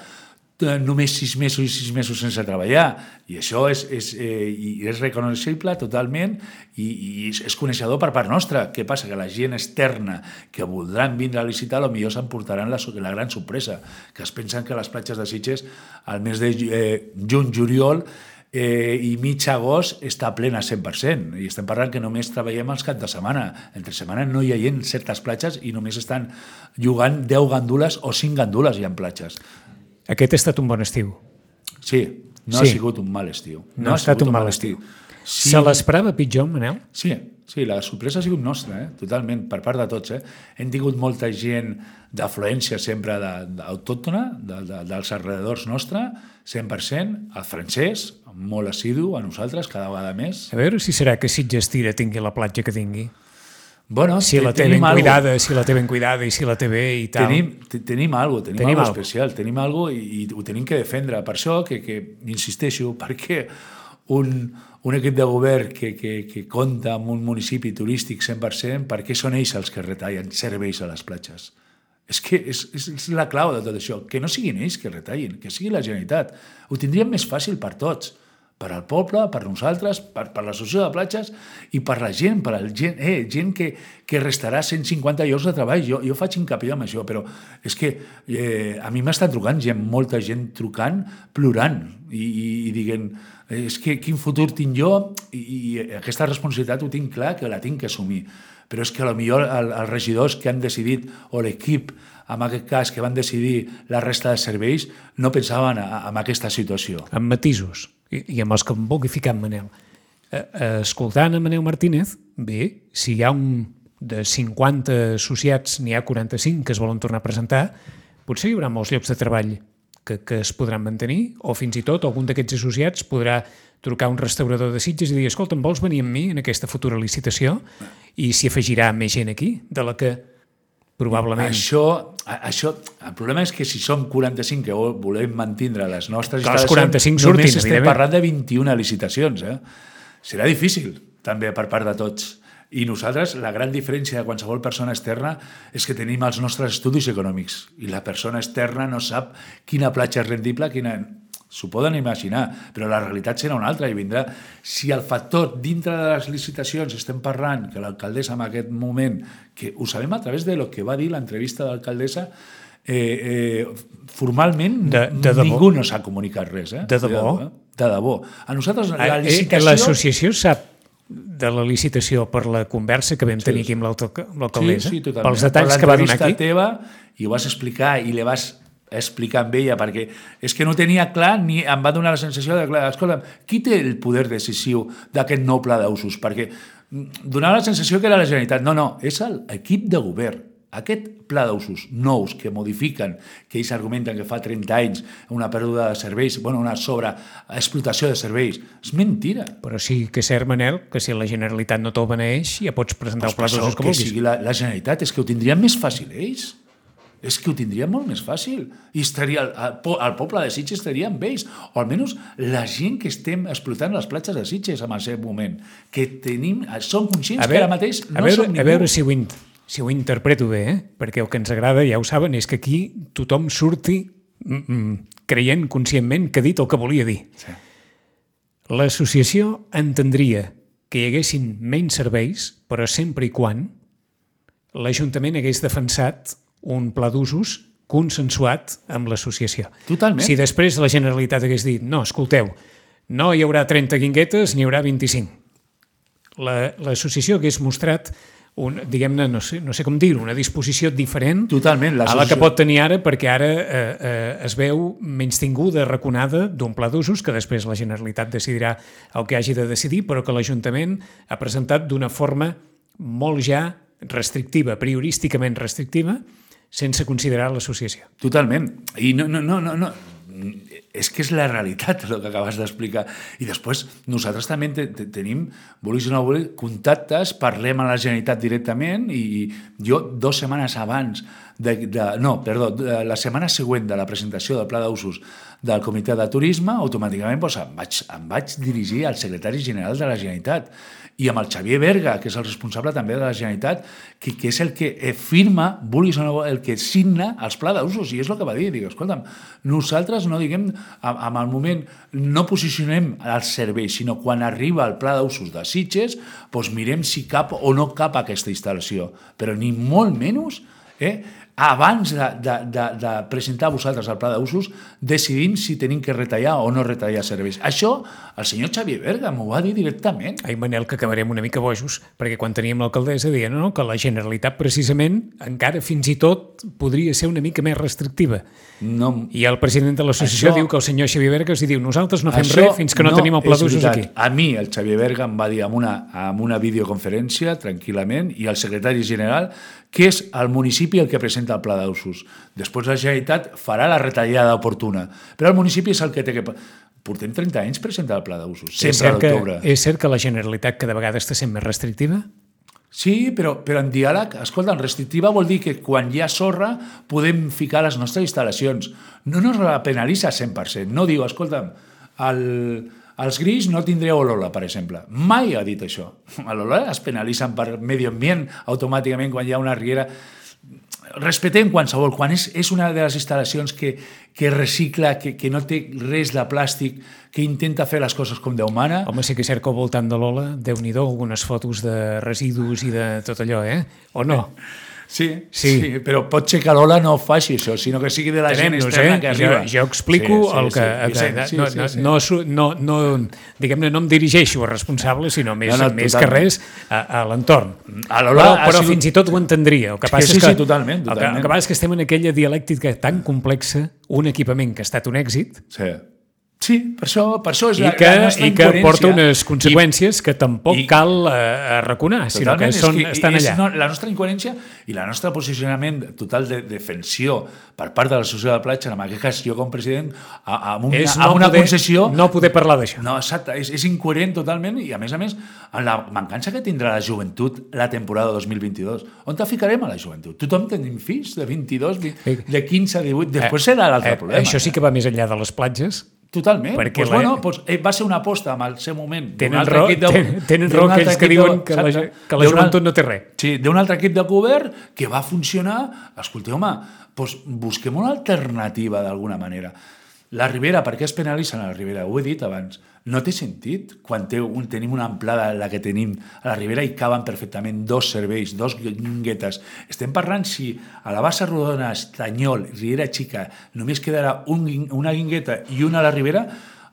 eh, només sis mesos i sis mesos sense treballar, i això és, és, eh, i és reconeixible totalment i, i és, és coneixedor per part nostra. Què passa? Que la gent externa que voldran vindre a licitar potser s'emportaran la, la gran sorpresa, que es pensen que les platges de Sitges al mes de eh, juny, juliol eh, i mig agost està plena cent per cent, i estem parlant que només treballem els caps de setmana. Entre setmana no hi ha gent certes platges i només estan jugant deu gandules o cinc gandules hi ha platges. Aquest ha estat un bon estiu. Sí, no Sí. ha sigut un mal estiu. No, no ha estat un mal estiu. Sí, Se l'esperava pitjor, Manel? sí, sí, la sorpresa ha sigut nostra, eh? Totalment, per part de tots. Eh? Hem tingut molta gent d'afluència sempre de, d'autòctona, de, de, dels alrededors nostre, cent per cent, el francès, molt assidu a nosaltres, cada vegada més. A veure si serà que Sitges Tira tingui la platja que tingui. Bueno, Si la té ben cuidada, si la té ben cuidada i si la té bé i tal. Tenim, te- tenim algo, tenim, Tenim algo algo. especial, tenim algo i, i ho tenim que defendre. Per això que, que insisteixo, perquè un, un equip de govern que, que, que compta amb un municipi turístic cent per cent, per què són ells els que retallen serveis a les platges? És que és, és, és la clau de tot això, que no siguin ells que retallin, que sigui la Generalitat. Ho tindríem més fàcil per tots, per al poble, per nosaltres, per, per l'associació de platges i per la gent, per al gent, eh, gent que, que restarà cent cinquanta llocs de treball. Jo, jo faig hincapié en això, però és que eh, a mi m'està trucant gent, molta gent trucant, plorant i, i, i dient, eh, és que quin futur tinc jo, i, i aquesta responsabilitat ho tinc clar que la tinc que assumir. Però és que potser el, els regidors que han decidit, o l'equip, en aquest cas, que van decidir la resta de serveis, no pensaven en aquesta situació. Amb matisos, i, i amb els que em vulgui ficar en Manel. Eh, eh, escoltant a Manel Martínez, bé, si hi ha un de cinquanta associats, n'hi ha quaranta-cinc que es volen tornar a presentar, potser hi haurà molts llocs de treball que, que es podran mantenir, o fins i tot algun d'aquests associats podrà trucar a un restaurador de Sitges i dir, escolta, em vols venir amb mi en aquesta futura licitació? I s'hi afegirà més gent aquí, de la que probablement... Això, això, el problema és que si som quaranta-cinc que volem mantindre les nostres Que els instal·lacions, quaranta-cinc surtin, només estem evidentment. parlant de vint-i-una licitacions. Eh? Serà difícil, també, per part de tots. I nosaltres, la gran diferència de qualsevol persona externa és que tenim els nostres estudis econòmics i la persona externa no sap quina platja és rendible, quina... S'ho poden imaginar, però la realitat serà una altra i vindrà. Si el factor dintre de les licitacions estem parlant, que l'alcaldessa en aquest moment, que ho sabem a través de lo que va dir l'entrevista de l'alcaldessa, eh, eh, formalment De- de debò? ningú no s'ha comunicat res. Eh? De debò? Eh? De debò. A nosaltres la Eh, eh, licitació... L'associació sap de la licitació per la conversa que vam tenir aquí amb l'alta- amb l'alcaldessa, Sí, sí, totalment. pels detalls per que va donar l'entrevista aquí. teva, i ho vas explicar i li vas explicar amb ella, perquè és que no tenia clar, ni em va donar la sensació de, clar, escolta, qui té el poder decisiu d'aquest nou pla d'usos? Perquè donava la sensació que era la Generalitat. No, no, és l'equip de govern. Aquest pla d'usos nous que modifiquen, que ells argumenten que fa trenta anys una pèrdua de serveis, bueno, una sobreexplotació de serveis, és mentira. Però sí que és cert, Manel, que si la Generalitat no te'l beneix, ja pots presentar Pues el pla per d'usos això que que vulguis. sigui la, la Generalitat, és que ho tindrien més fàcil ells. És que ho tindrien molt més fàcil. I estaria, el, el poble de Sitges estaria amb ells, o almenys la gent que estem explotant les platges de Sitges en aquest moment, que tenim, som conscients A veure, que ara mateix no a veure, som ningú. a veure si ho, in, si ho interpreto bé, eh? Perquè el que ens agrada, ja ho saben, és que aquí tothom surti mm, mm, creient conscientment que ha dit el que volia dir. Sí. L'associació entendria que hi haguessin menys serveis, però sempre i quan l'Ajuntament hagués defensat un pla d'usos consensuat amb l'associació. Totalment. Si després la Generalitat hagués dit no, escolteu, no hi haurà trenta guinguetes, n'hi haurà vint-i-cinc. La, l'associació hagués mostrat un, diguem-ne, no sé, no sé com dir-ho, una disposició diferent Totalment, a la que pot tenir ara, perquè ara eh, eh, es veu menystinguda, arraconada d'un pla d'usos que després la Generalitat decidirà el que hagi de decidir, però que l'Ajuntament ha presentat d'una forma molt ja restrictiva, priorísticament restrictiva, sense considerar l'associació. Totalment. I no, no, no, no, no. És que és la realitat el que acabes d'explicar. I després nosaltres també te, te, tenim, vulguis o no vulguis, contactes, parlem a la Generalitat directament i, i jo dues setmanes abans, de, de, no, perdó, de, la setmana següent de la presentació del pla d'usos del Comitè de Turisme, automàticament doncs, em, vaig, em vaig dirigir al secretari general de la Generalitat i amb el Xavier Berga, que és el responsable també de la Generalitat, que, que és el que firma, vulguis o no, el que signa els pla d'usos, i és el que va dir. Dic, escolta'm, nosaltres no diguem, en el moment, no posicionem els serveis, sinó quan arriba el pla d'usos de Sitges, doncs mirem si cap o no cap aquesta instal·lació, però ni molt menys, eh, abans de, de, de, de presentar a vosaltres el pla d'usos, decidim si tenim que retallar o no retallar serveis. Això el senyor Xavier Berga m'ho va dir directament. Ai, Manel, que acabarem una mica bojos, perquè quan teníem l'alcaldessa deia no, no, que la Generalitat precisament encara fins i tot podria ser una mica més restrictiva. No, I el president de l'associació això, diu que el senyor Xavier Berga els diu nosaltres no fem això res fins que no, no tenim el pla d'usos aquí. A mi el Xavier Berga em va dir en una, en una videoconferència, tranquil·lament, i el secretari general, que és el municipi el que presenta el pla d'usos. Després la Generalitat farà la retallada oportuna, però el municipi és el que té que... Portem trenta anys presentant el pla d'usos, sempre a l'octubre. És cert que la Generalitat cada vegada està sent més restrictiva? Sí, però, però en diàleg, escolta, en restrictiva vol dir que quan hi ha sorra podem ficar les nostres instal·lacions. No ens la penalitza cent per cent. No diu, escolta'm, el, els grills no tindreu olola, per exemple. Mai ha dit això. L'olola es penalitzen per medi ambient automàticament quan hi ha una riera. Respetem qualsevol. Quan és, és una de les instal·lacions que, que recicla, que, que no té res de plàstic, que intenta fer les coses com Déu mana... Home, sí que és cert que al voltant de l'Ola, Déu-n'hi-do, algunes fotos de residus i de tot allò, eh? O no? Sí, sí. sí, però pot ser que l'Ola no faci això, sinó que sigui de la gent externa eh? que arriba. Jo, jo explico sí, sí, el que... Sí, sí, que sí, no, sí, sí. No, no, no, no, diguem-ne, no em dirigeixo a responsable, sinó més, no, no, més que res a, a l'entorn. A però però sigut... fins i tot ho entendria. El que passa és que, és que, sí, totalment, totalment. El que, el que passa és que estem en aquella dialèctica tan complexa, un equipament que ha estat un èxit, sí. Sí, per això, per això és I la, que, la nostra i que incoherència. porta unes conseqüències I, que tampoc i, cal eh, arraconar, sinó que, són, que estan és, allà. No, la nostra incoherència i la nostra posicionament total de defensió per part de l'associació de platja, en aquest cas jo com president, amb una, és no amb una poder, concessió... No poder parlar d'això. No, exacte, és, és incoherent totalment i a més a més en la mancança que tindrà la joventut la temporada dos mil vint-i-dos. On te ficarem a la joventut? Tothom tenim fills de vint-i-dos, de quinze, divuit, després serà l'altre eh, problema. Això sí que va més enllà de les platges. Totalment. Perquè pues, la... bueno, pues, eh, va ser una aposta en el seu moment. Tenen raó, de... tenen, tenen raó aquells que diuen de... que la, que la joventut no té res. Sí, d'un altre equip de govern que va funcionar. Escolteu, home, pues, busquem una alternativa d'alguna manera. La Ribera, per què es penalitzen a la Ribera? Ho he dit abans. No té sentit quan té un, tenim una amplada la que tenim a la Ribera i caben perfectament dos serveis, dos guinguetes. Estem parlant si a la Bassa Rodona, Estanyol, Riera Xica només quedarà un, una guingueta i una a la Ribera,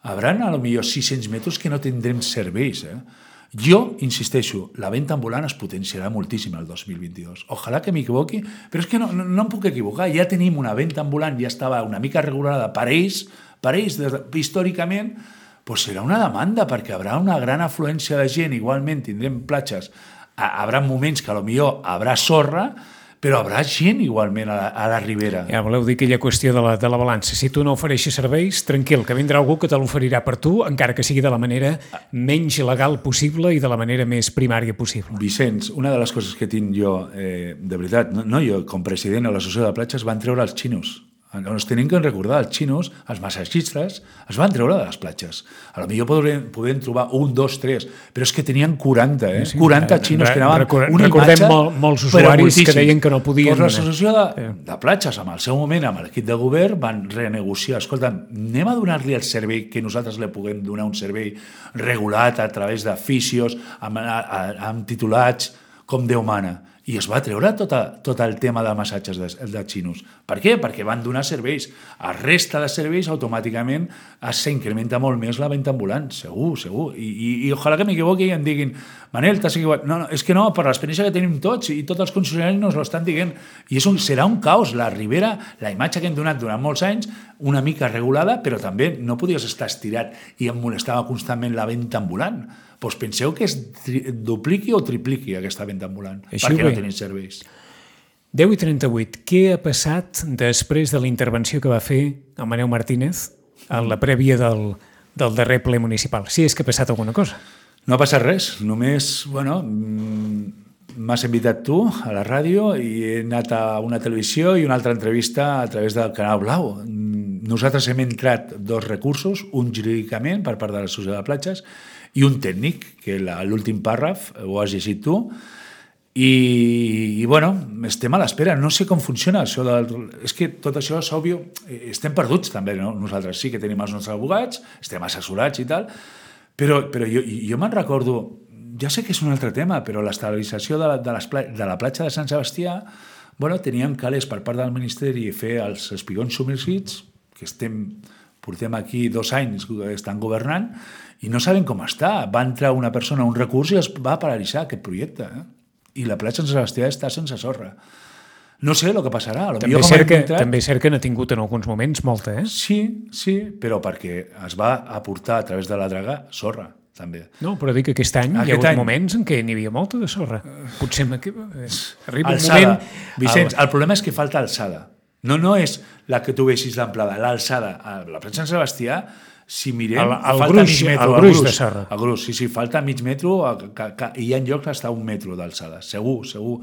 hauran a lo millor sis-cents metres que no tindrem serveis, eh? Jo insisteixo, la venda ambulant es potenciarà moltíssim el dos mil vint-i-dos. Ojalà que m'equivoqui, però és que no, no, no em puc equivocar. Ja tenim una venda ambulant, ja estava una mica regulada per ells, per ells de, històricament, doncs serà una demanda, perquè hi haurà una gran afluència de gent, igualment tindrem platges, hi haurà moments que potser haurà sorra, però hi haurà gent igualment a la, a la Ribera. Ja voleu dir aquella qüestió de la, de la balança. Si tu no ofereixes serveis, tranquil, que vindrà algú que te l'oferirà per tu, encara que sigui de la manera menys legal possible i de la manera més primària possible. Vicenç, una de les coses que tinc jo, eh, de veritat, no, no jo, com president de l'associació de platges, van treure els xinos. Ens tenim que recordar, els xinos, els massatgistes, es van treure de les platges. A lo millor podem, podem trobar un, dos, tres, però és que tenien quaranta, eh? Sí, quaranta xinos que anaven record, una recordem imatge... Mol, molts usuaris que deien que no podien... Doncs l'associació de, de platges, amb el seu moment, amb l'equip de govern, van renegociar. Escolta, anem a donar-li el servei que nosaltres li puguem donar un servei regulat a través de fisios, amb, amb titulats com Déu mana. i es va treure tot, a, tot el tema de massatges de, de xinos. Per què? Perquè van donar serveis. A resta de serveis, automàticament s'incrementa molt més la venda ambulant, segur, segur. I, i, i ojalà que m'equivoqui i em diguin Manel, t'has equivocat. No, no, és que no, per l'experiència que tenim tots i tots els concessionaris nos l'estan dient. I és un, serà un caos. La Ribera, la imatge que hem donat durant molts anys, una mica regulada, però també no podies estar estirat i em molestava constantment la venda ambulant. Doncs penseu que es dupliqui o tripliqui aquesta venda ambulant, Així perquè bé. no tenim serveis. deu i trenta-vuit. Què ha passat després de la intervenció que va fer el Manel Martínez a la prèvia del, del darrer ple municipal? Si és que ha passat alguna cosa. No ha passat res, només, bueno, m'has invitat tu a la ràdio i he anat a una televisió i una altra entrevista a través del Canal Blau. Nosaltres hem entrat dos recursos, un jurídicament per part de l'Associació de Platges i un tècnic, que l'últim pàrraf ho has llegit tu, i, i bueno, estem a l'espera. No sé com funciona això. Del, és que tot això és òbvio. Estem perduts també, no? Nosaltres sí que tenim els nostres abogats, estem assessorats i tal, però, però jo, jo me'n recordo, ja sé que és un altre tema, però l'estabilització de la, de, les, de la platja de Sant Sebastià, bueno, teníem calés per part del Ministeri fer els espigons submergits, que estem, portem aquí dos anys estan governant, i no sabem com està. Va entrar una persona a un recurs i es va paralitzar aquest projecte. Eh? I la platja de Sant Sebastià està sense sorra. No sé el que passarà. També és cert que, entrat... també és cert que n'ha tingut en alguns moments molta, eh? Sí, sí, però perquè es va aportar a través de la draga sorra, també. No, però dic que aquest any aquest hi ha hagut any... moments en què n'hi havia molta de sorra. Potser eh, arriba alçada. un moment... Vicenç, el... el problema és que falta alçada. No, no és la que tu veixis d'amplada, l'alçada. A la platja de Sant Sebastià, si mirem, el, el falta gruix, mig metro. El gruix de sorra. El gruix, sí, sí, falta mig metro, que, que, i hi ha llocs hasta un metro d'alçada. Segur, segur.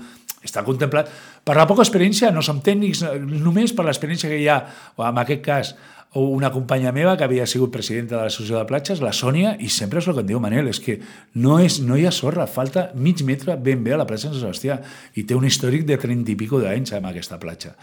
Està contemplat. Per la poca experiència, no som tècnics, només per l'experiència que hi ha, o en aquest cas, una companya meva que havia sigut presidenta de l'Associació de Platges, la Sònia, i sempre és el que em diu Manel, és que no, és, no hi ha sorra, falta mig metre ben bé a la platja de Sant Sebastià, i té un històric de trenta i pico d'anys amb aquesta platja.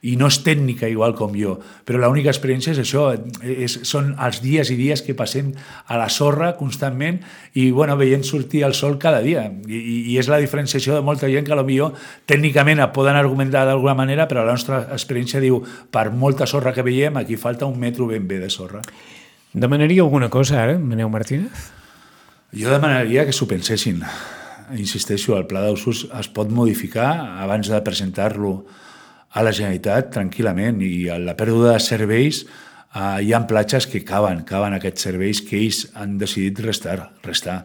I no és tècnica igual com jo, però l'única experiència és això, és, són els dies i dies que passem a la sorra constantment i bueno, veient sortir el sol cada dia. I, i és la diferenciació de molta gent que potser tècnicament poden argumentar d'alguna manera, però la nostra experiència diu, per molta sorra que veiem, aquí falta un metro ben bé de sorra. Demanaria alguna cosa ara, Manel Martínez? Jo demanaria que s'ho pensessin. Insisteixo, el pla d'usos es pot modificar abans de presentar-lo a la Generalitat tranquil·lament, i a la pèrdua de serveis eh, hi ha platges que caben, caben aquests serveis que ells han decidit restar, restar.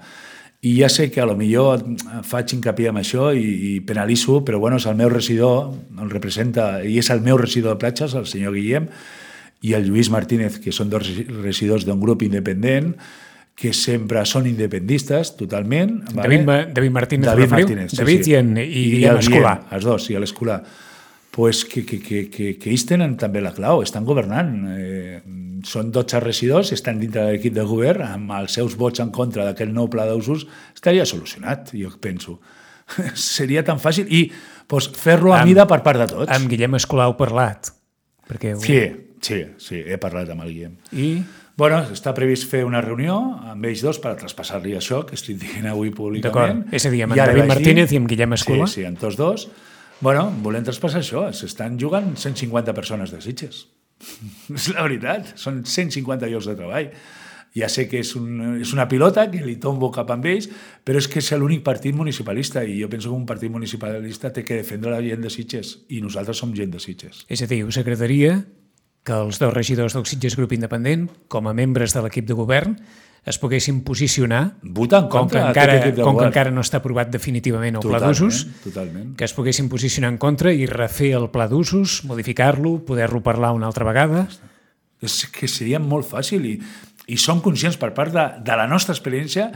I ja sé que a lo millor faig hincapié en això i, i penalitzo, però bueno, és el meu regidor, el representa, i és el meu regidor de platges, el senyor Guillem, i el Lluís Martínez, que són dos regidors d'un grup independent, que sempre són independistes, totalment. David, vale? David Martínez, David Martínez, sí, David sí. i, en, i, I Guillem Escolà. Els dos, i l'Escolà. Pues que, que, que, que, que ells tenen també la clau, estan governant. Eh, són dotze regidors, estan dintre de l'equip de govern, amb els seus vots en contra d'aquest nou pla d'usos, estaria solucionat, jo penso. Seria tan fàcil. I pues, fer-lo a amb, mida per part de tots. Amb Guillem Escolà heu parlat? Perquè... Sí, sí, sí, he parlat amb el Guillem. I... Bueno, està previst fer una reunió amb ells dos per traspassar-li això que estic dient avui públicament. D'acord, és a dir, amb David Martínez i amb Guillem Escolà? Sí, sí, amb tots dos. Bueno, volem traspassar això. S'estan jugant cent cinquanta persones de Sitges. És la veritat. Són cent cinquanta llocs de treball. Ja sé que és, un, és una pilota que li tombo cap amb ells, però és que és l'únic partit municipalista i jo penso que un partit municipalista té que defendre la gent de Sitges i nosaltres som gent de Sitges. És a dir, us agradaria que els dos regidors del Sitges Grup Independent, com a membres de l'equip de govern, es poguessin posicionar, votar en contra com, que encara, com que encara no està aprovat definitivament el pla d'usos, que es poguessin posicionar en contra i refer el pla d'usos, modificar-lo, poder-lo parlar una altra vegada. És que seria molt fàcil i, i som conscients per part de, de la nostra experiència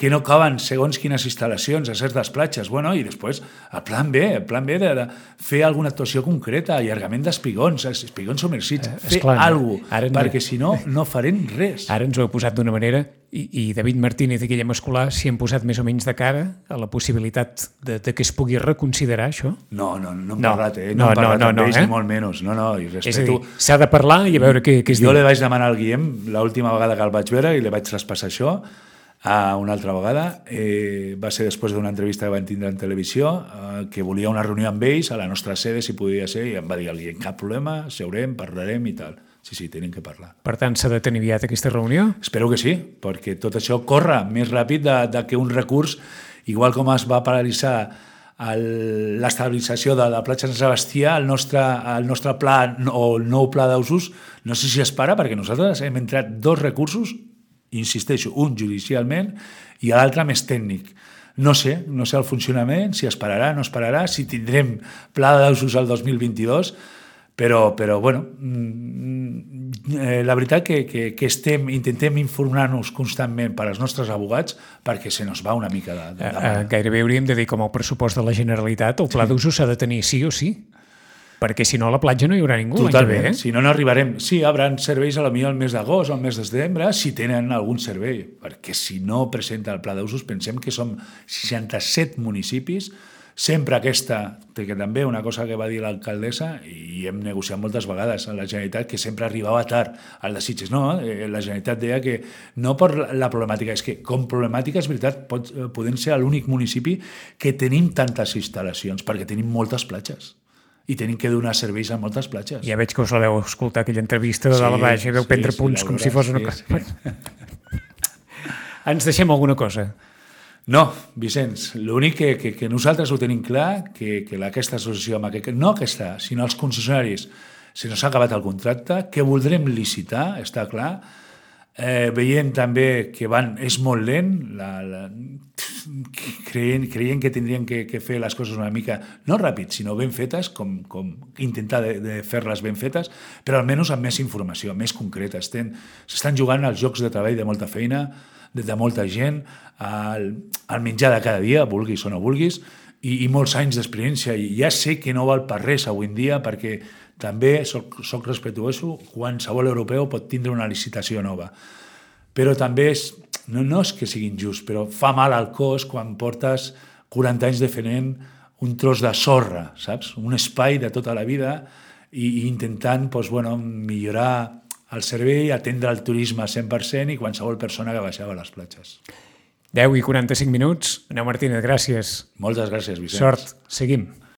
que no caben segons quines instal·lacions a certes platges. Bueno, i després el plan B, el plan B de, de fer alguna actuació concreta, allargament d'espigons, espigons submergits, eh, fer alguna cosa, perquè si no, no farem res. Ara ens ho heu posat d'una manera i, i David Martínez i Guillem Escolà s'hi han posat més o menys de cara a la possibilitat de, de que es pugui reconsiderar això? No, no, no hem no, parlat, eh? No, no hem parlat no, amb no, ells, eh? ni molt menys. No, no, i respeto... És a dir, s'ha de parlar i a veure què, què es jo diu. Jo li vaig demanar al Guillem, l'última vegada que el vaig veure, i li vaig traspassar això, Uh, una altra vegada. Eh, va ser després d'una entrevista que van tindre en televisió, uh, que volia una reunió amb ells a la nostra sede, si podia ser, i em va dir el Guillem, cap problema, seurem, parlarem i tal. Sí, sí, tenim que parlar. Per tant, s'ha de tenir aviat aquesta reunió? Espero que sí, perquè tot això corre més ràpid de, de que un recurs, igual com es va paralitzar l'estabilització de la platja Sant Sebastià, el nostre, el nostre pla o el nou pla d'usos, no sé si es para, perquè nosaltres hem entrat dos recursos, insisteixo, un judicialment i l'altre més tècnic. No sé, no sé el funcionament, si es pararà, no es pararà, si tindrem pla d'usos el dos mil vint-i-dos, però, però bueno, eh, la veritat que, que, que estem, intentem informar-nos constantment per als nostres abogats perquè se nos va una mica de, de, de uh, Gairebé hauríem de dir com el pressupost de la Generalitat, el pla sí. d'usos s'ha de tenir sí o sí, perquè si no a la platja no hi haurà ningú. Totalment, eh? si no, no arribarem. Sí, hi haurà serveis a la millor el mes d'agost o el mes de setembre, si tenen algun servei, perquè si no presenta el pla d'usos, pensem que som seixanta-set municipis, sempre aquesta, que també una cosa que va dir l'alcaldessa, i hem negociat moltes vegades a la Generalitat, que sempre arribava tard al de Sitges. No, la Generalitat deia que no per la problemàtica, és que com problemàtica, és veritat, pot, podem ser l'únic municipi que tenim tantes instal·lacions, perquè tenim moltes platges. I tenim que donar serveis a moltes platges. Ja veig que us la veu escoltar aquella entrevista de sí, dalt a baix i veu sí, prendre punts sí, com si fos una cosa. Sí, sí. Ens deixem alguna cosa? No, Vicenç, l'únic que, que, que nosaltres ho tenim clar, que, que aquesta associació, amb aquest, no aquesta, sinó els concessionaris, se nos ha acabat el contracte, que voldrem licitar, està clar, eh, veiem també que van, és molt lent, la, la, creient, creient que tindrien que, que fer les coses una mica, no ràpid, sinó ben fetes, com, com intentar de, de fer-les ben fetes, però almenys amb més informació, més concreta. S'estan jugant als llocs de treball de molta feina, de, de molta gent, al, al menjar de cada dia, vulguis o no vulguis, i, i molts anys d'experiència. I ja sé que no val per res avui en dia, perquè també soc, soc respetuoso, qualsevol europeu pot tindre una licitació nova. Però també és, no, no és que sigui injust, però fa mal al cos quan portes quaranta anys defendent un tros de sorra, saps? Un espai de tota la vida i, i intentant doncs, bueno, millorar el servei, atendre el turisme al cent per cent i qualsevol persona que baixava a les platges. deu i quaranta-cinc minuts. Aneu Martínez, gràcies. Moltes gràcies, Vicenç. Sort. Seguim.